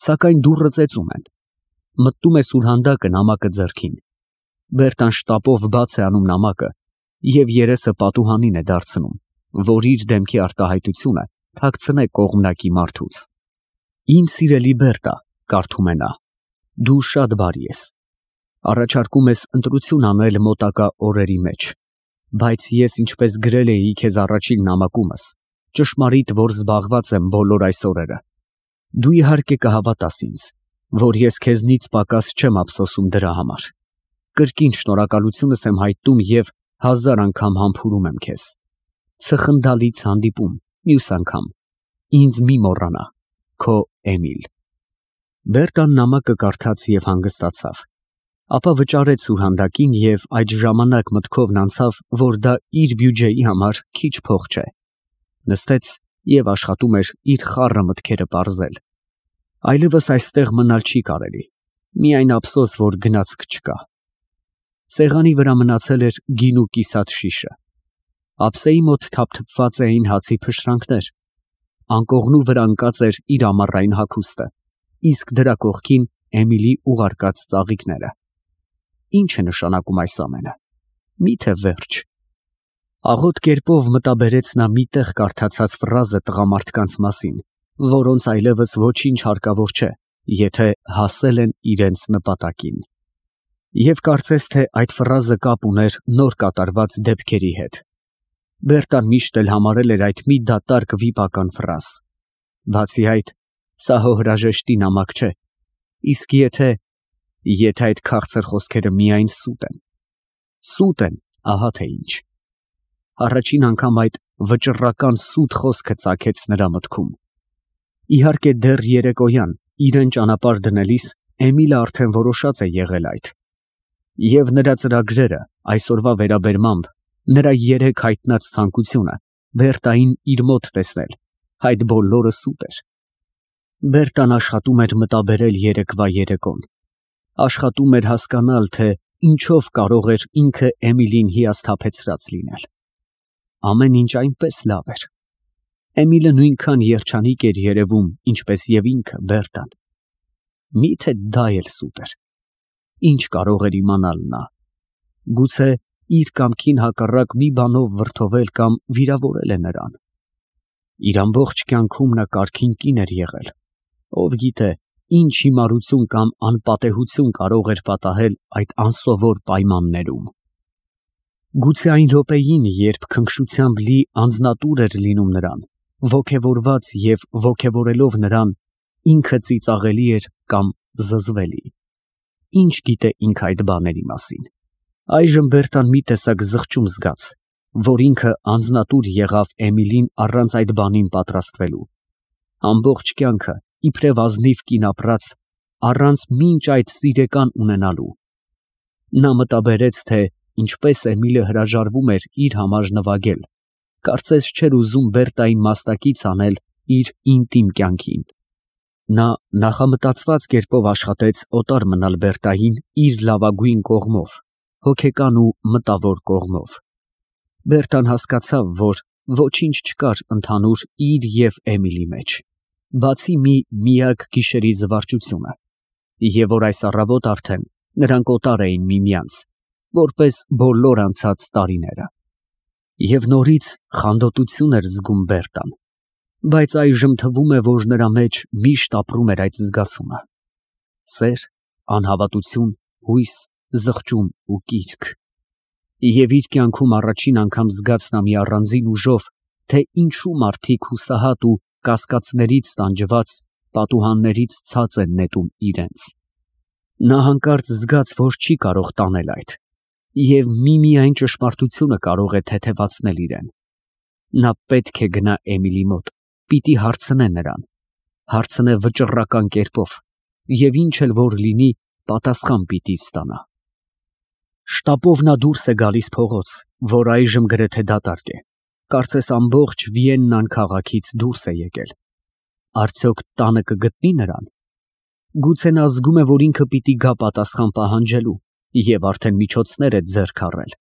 Սակայն դուռը ծեծում են։ Մտնում է սուրհանդակը նամակը ձեռքին։ Բերտան շտապով բաց է անում նամակը և երեսը պատուհանին է դարձնում, որ իր դեմքի արտահայտությունը թաքցնե կողմնակի մարդուց։ Իմ սիրելի Բերտա, կարդում է նա, դու շատ բարի ես։ Առաջարկում ես ընտրություն անել մոտակա օրերի մեջ, բայց ես ինչպես գրել էի քեզ առաջին նամակումս, ճշմարիտ որ զբաղված եմ բոլոր այս օրերը։ Դու իհարկե կհավատաս ինձ, որ ես քեզնից պակաս չեմ ափսոսում դրա համար։ Կրկին շնորհակալությունս եմ հայտնում և 1000 անգամ համբուրում եմ քեզ։ Ցխնդալից հանդիպում, մյուս անգամ։ Ինձ մի մոռանա, քո Էմիլ։ Բերտան նամակը կարդաց և հանգստացավ, ապա վճարեց սուրհանդակին և այդ ժամանակ մտքովն անցավ, որ դա իր բյուջեի համար քիչ փող չէ։ Նստեց և աշխատում էր իր խառը մտքերը պարզել։ Այլևս այստեղ մնալ չի կարելի, միայն ափսոս, որ գնացք չկա։ Սեղանի վրա մնացել էր գինու կիսատ շիշը։ Ափսեի մոտ թափթփված էին հացի փշրանքներ։ Անկողնու վրա ընկած էր իր ամառային հագուստը, իսկ դրա կողքին Էմիլի ուղարկած ծաղիկները։ Ինչ է նշանակում այս ամենը։ Միթե վերջ։ Աղոտ կերպով մտաբերեց նա մի տեղ կարդացած ֆրազը տղամարդկանց մասին, որոնց այլևս ոչինչ հարկավոր չէ, եթե հասել են իրենց նպատակին։ Եվ կարծես թե այդ ֆրազը կապ ուներ նոր կատարված դեպքերի հետ։ Բերտան միշտ էլ համարել էր այդ մի դատարկ վիպական ֆրազ։ Բացի այդ, սա հոհրաժեշտի նամակ չէ, իսկ եթե այդ քաղցր խոսքերը միայն սուտ են, ահա թե ինչ։ Առաջին անգամ այդ վճռական սուտ խոսքը ծագեց նրա մտքում։ Իհարկե դեռ երեկոյան իրեն ճանապարհ դնելիս Էմիլը արդեն որոշած է եղել այդ։ Եվ նրա ծրագրերը այսօրվա վերաբերմամբ, նրա երեկ հայտնած ցանկությունը Բերտային իր մոտ տեսնել, այդ բոլորը սուտ էր։ Բերտան աշխատում էր մտաբերել երեկվա երեկոն։ Աշխատում էր հասկանալ, թե ինչով կարող էր ինքը Էմիլին հիասթափեցրած լինել։ Ամեն ինչ այնպես լավ էր։ Էմիլը նույնքան երջանիկ էր երևում, ինչպես և ինքը Բերտան։ Միթե դա էլ սուտ էր։ Ինչ կարող էր իմանալ նա։ Գուցե իր կամքին հակառակ մի բանով վրդովել կամ վիրավորել է նրան։ Իր ամբողջ կյանքում նա կարգին կին էր եղել։ Ով գիտե, ինչ հիմարություն կամ անպատեհություն կարող էր պատահել այդ անսովոր պայմաններում։ Գուցե այն րոպեին, երբ քնքշությամբ լի անձնատուր էր լինում նրան, ոգևորված և ոգևորելով նրան, ինքը ծիծաղելի էր կամ զզվելի։ Ինչ գիտե ինքը այդ բաների մասին։ Այժմ Բերտան մի տեսակ զղջում զգաց, որ ինքը անձնատուր եղավ Էմիլին առանց այդ բանին պատրաստվելու։ Ամբողջ կյանքը իբրև ազնիվ կին ապրած, առանց մինչ այդ սիրեկան ունենալու։ Նա մտաբերեց, թե ինչպես Էմիլը հրաժարվում էր իր համար նվագել, կարծես չէր ուզում Բերտային մասնակից անել իր ինտիմ կյանքին։ Նա նախամտածված կերպով աշխատեց օտար մնալ Բերտային իր լավագույն կողմով, հոգեկան ու մտավոր կողմով։ Բերտան հասկացավ, որ ոչինչ չկար ընդհանուր իր և Էմիլի մեջ, բացի մի միակ գիշերի զվարճությունը, և որ այս առավոտ արդեն նրանք օտար էին միմյանց, որպես բոլոր անցած տարիները։ Եվ նորից խանդոտություն էր զգում Բերտան, բայց այժմ թվում է, որ նրա մեջ միշտ ապրում էր այդ զգացումը։ Սեր, անհավատություն, հույս, զղջում ու կիրք։ Եվ իր կյանքում առաջին անգամ զգաց նա մի առանձին ուժով, թե ինչու մարդիկ հուսահատ ու կասկածներից տանջված պատուհաններից ցած են նետում իրենց։ Նա հանկարծ զգաց, որ չի կարող տանել այդ, և միմիայն ճշմարտությունը կարող է թեթևացնել իրեն։ Նա պետք է գնա Էմիլի մոտ, պիտի հարցնե նրան, հարցնե վճռական կերպով, և ինչ էլ որ լինի, պատասխան պիտի ստանա։ Շտապով նա դուրս է գալիս փողոց, որ այժմ գրեթե դատարկ է, կարծես ամբողջ Վիեննան քաղաքից դուրս է եկել։ Արդյոք տանը կգտնի նրան։ Գուցե նա զգում է, որ ինքը պիտի գա պատասխան պահանջելու և արդեն միջոցներ է ձեռք առել։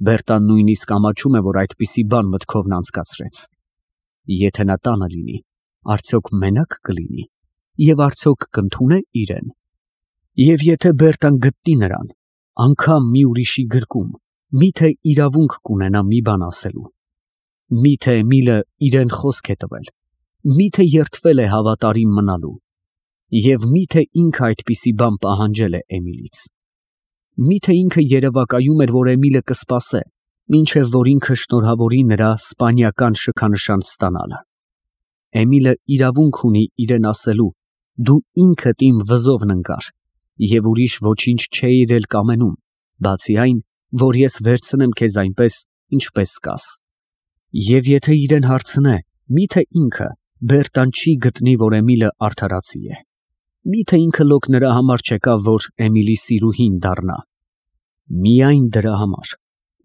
Բերտան նույնիսկ ամաչում է, որ այդպիսի բան մտքովն անցկացրեց։ Եթե նա տանը լինի, արդյոք մենակ կլինի։ եւ արդյոք կընդունե իրեն։ Եվ եթե Բերտան գտնի նրան, անգամ մի ուրիշի գրկում, միթե իրավունք կունենա մի բան ասելու։ Միթե Էմիլը իրեն խոսք է տվել, միթե երդվել է հավատարիմ մնալու, եւ միթե ինքը այդպիսի բան պահանջել է Էմիլից։ Միթե ինքը երևակայում էր, որ Էմիլը կսպասե, մինչև որ ինքը շնորհավորի նրա սպանիական շքանշան ստանալը։ Էմիլը իրավունք ունի իրեն ասելու. դու ինքդ իմ վզովն ընկար, եւ ուրիշ ոչինչ չէիր էլ կամենում, բացի այն, որ ես վերցնեմ քեզ այնպես, ինչպես կաս։ Եվ եթե իրեն հարցնե, միթե ինքը Բերտան չի գտնի, որ Էմիլը արդարացի է։ Միթե ինքը լոկ նրա համար չեկավ, որ Էմիլի սիրուհին դառնա։ Միայն դրա համար,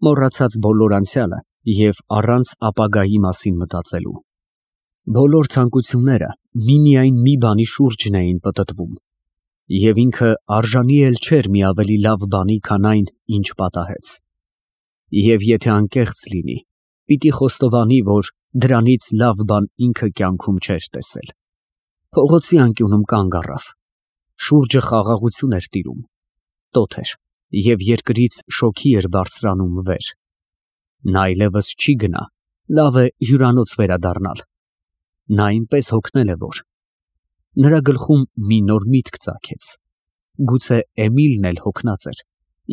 մոռացած բոլոր անցյալը եւ առանց ապագայի մասին մտածելու։ Բոլոր ցանկությունները միմիայն մի բանի շուրջն էին պտտվում, եւ ինքը արժանի էլ չէր մի ավելի լավ բանի, քան այն, ինչ պատահեց։ Եվ եթե անկեղծ լինի, պիտի խոստովանի, որ դրանից լավ բան ինքը կյանքում չէր տեսել։ Փողոցի անկյունում կանգ առավ։ Շուրջը խաղաղություն էր տիրում, տոթ էր, եւ երկրից շոգի էր բարձրանում վեր։ Նա այլևս չի գնա, լավ է հյուրանոց վերադառնալ։ Նա այնպես հոգնել է, որ նրա գլխում մի նոր միտք ծագեց։ Գուցե Էմիլն էլ հոգնած էր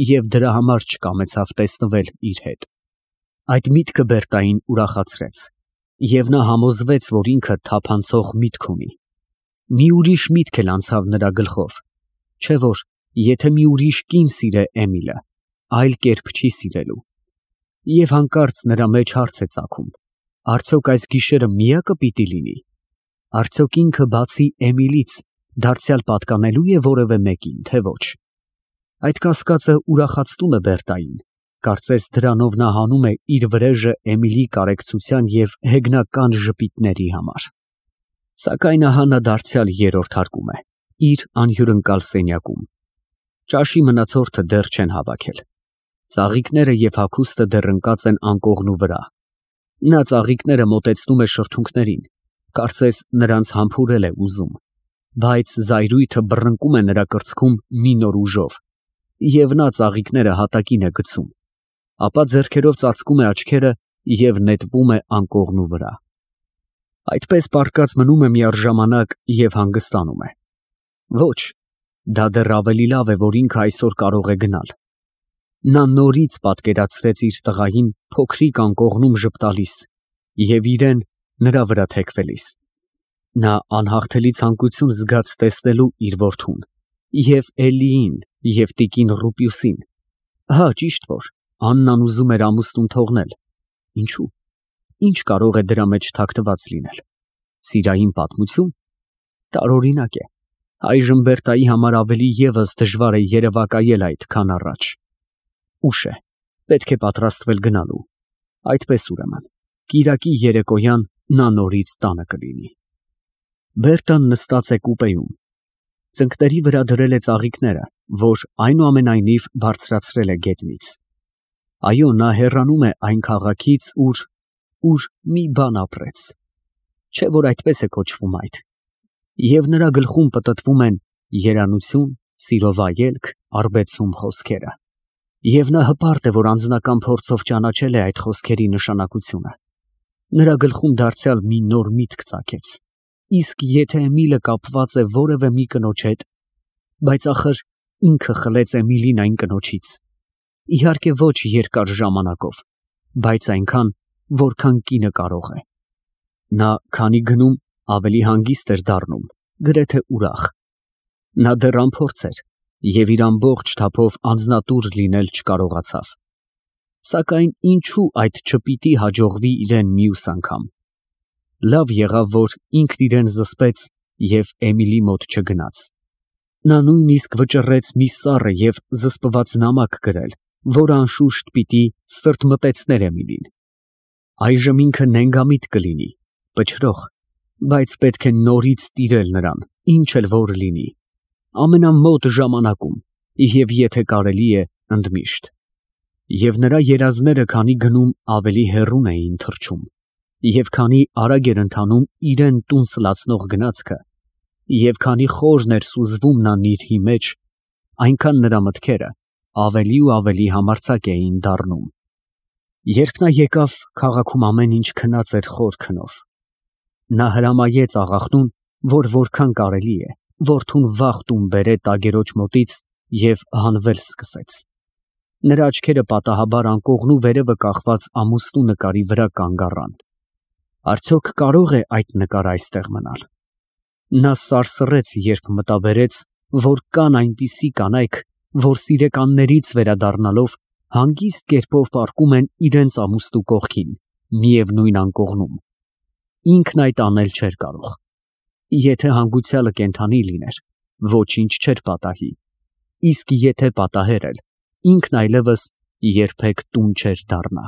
եւ դրա համար չկամեցավ տեսնվել իր հետ։ Այդ միտքը Բերտային ուրախացրեց, եւ նա համոզվեց, որ ինքը թափանցող միտք ունի։ Մի ուրիշ միտք էլ անցավ նրա գլխով, չէ՞ որ եթե մի ուրիշ կին սիրե Էմիլը, այլ կերպ չի սիրելու։ Եվ հանկարծ նրա մեջ հարց է ծագում. արդյոք այս գիշերը միակը պիտի լինի։ Արդյոք ինքը բացի Էմիլից դարձյալ պատկանելու է որևէ մեկին, թե ոչ։ Այդ կասկածը ուրախացնում է Բերտային, կարծես դրանով նա հանում է իր վրեժը Էմիլի կարեկցության եւ հեգնական ժպիտների համար։ Սակայն ահա նա դարձյալ երրորդ հարկում է, իր անհյուրընկալ սենյակում։ Ճաշի մնացորդը դեռ չեն հավաքել։ Ծաղիկները եւ հագուստը դեռ ընկած են անկողնու վրա։ Նա ծաղիկները մոտեցնում է շրթունքներին, կարծես նրանց համբուրել է ուզում, բայց զայրույթը բռնկում է նրա կրծքում մի նոր ուժով, եւ նա ծաղիկները հատակին է գցում, ապա ձեռքերով ծածկում է աչքերը եւ նետվում է անկողնու վրա։ Այդպես պառկած մնում է միառժամանակ եւ հանգստանում է։ Ոչ, դա դեռ ավելի լավ է, որ ինքը այսօր կարող է գնալ։ Նա նորից պատկերացրեց իր տղային փոքրիկ անկողնում ժպտալիս եւ իրեն նրա վրա թեքվելիս։ Նա անհաղթելի ցանկություն զգաց տեսնելու իր որդուն եւ Էլիին եւ տիկին Ռուպիուսին։ Հա, ճիշտ որ Աննան ուզում էր ամուսնուն թողնել։ Ինչու՞։ Ինչ կարող է դրա մեջ թաքնված լինել։ Սիրային պատմություն։ Տարօրինակ է։ Այժմ Բերտայի համար ավելի եւս դժվար է երևակայել այդ, քան առաջ։ Ուշ է, պետք է պատրաստվել գնալու։ Այդպես ուրեմն, կիրակի երեկոյան նա նորից տանը կլինի։ Բերտան նստած է կուպեում։ Ծնկների վրա դրել է ծաղիկները, որ այնուամենայնիվ բարձրացրել է գետնից։ Այո, նա հեռանում է այն քաղաքից, ուր մի բան ապրեց։ Չէ՞ որ այդպես է կոչվում այդ։ Եվ նրա գլխում պտտվում են երանություն, սիրո վայելք, արբեցում խոսքերը։ Եվ նա հպարտ է, որ անձնական փորձով ճանաչել է այդ խոսքերի նշանակությունը։ Նրա գլխում դարձյալ մի նոր միտք ծագեց։ Իսկ եթե Էմիլը կապված է որևէ մի կնոջ հետ, բայց ախր ինքը խլեց Էմիլին այն կնոջից։ Իհարկե ոչ երկար ժամանակով, բայց այնքան, որքան կինը կարող է։ Նա քանի գնում ավելի հանգիստ էր դառնում, գրեթե ուրախ։ Նա դեռ անփորձ էր եւ իր ամբողջ թափով անձնատուր լինել չկարողացավ։ Սակայն ինչու այդ չպիտի հաջողվի իրեն մյուս անգամ։ Լավ եղավ, որ ինքն իրեն զսպեց եւ Էմիլի մոտ չգնաց։ Նա նույնիսկ վճռեց մի սառը եւ զսպված նամակ գրել, որը անշուշտ պիտի սրտմտեցներ Էմիլին։ Այժմ ինքը նենգամիտ կլինի, պչրող, բայց պետք է նորից տիրել նրան, ինչ էլ որ լինի, ամենամոտ ժամանակում եւ եթե կարելի է ընդմիշտ։ Եվ նրա երազները քանի գնում ավելի հեռուն էին թռչում, եւ քանի արագ էր ընթանում իրեն տուն սլացնող գնացքը, Եվ քանի խորն էր սուզվում նա նիրհի մեջ, այնքան նրա մտքերը ավելի ու ավելի համարձակ էին դառնում։ Երբ նա եկավ, քաղաքում ամեն ինչ քնած էր խոր քնով։ Նա հրամայեց աղախնուն, որ որքան կարելի է, որդուն վաղ տուն բերե տագերոջ մոտից և հանվել սկսեց։ Նրա աչքերը պատահաբար անկողնու վերևը կախված ամուստու նկարի վրա կանգ առան։ Արդյոք կարող է այդ նկարը այստեղ մնալ։ Նա սարսռեց, երբ մտաբերեց, որ կան այնպիսի կանայք, որ սիրեկաններից վերադառնալով հանգիստ կերպով պառկում են իրենց ամուստու կողքին, միևնույն անկողնում։ Ինքն այդ անել չէր կարող։ Եթե հանգուցյալը կենդանի լիներ, ոչինչ չէր պատահի, իսկ եթե պատահեր էլ, ինքն այլևս երբեք տուն չէր դառնա։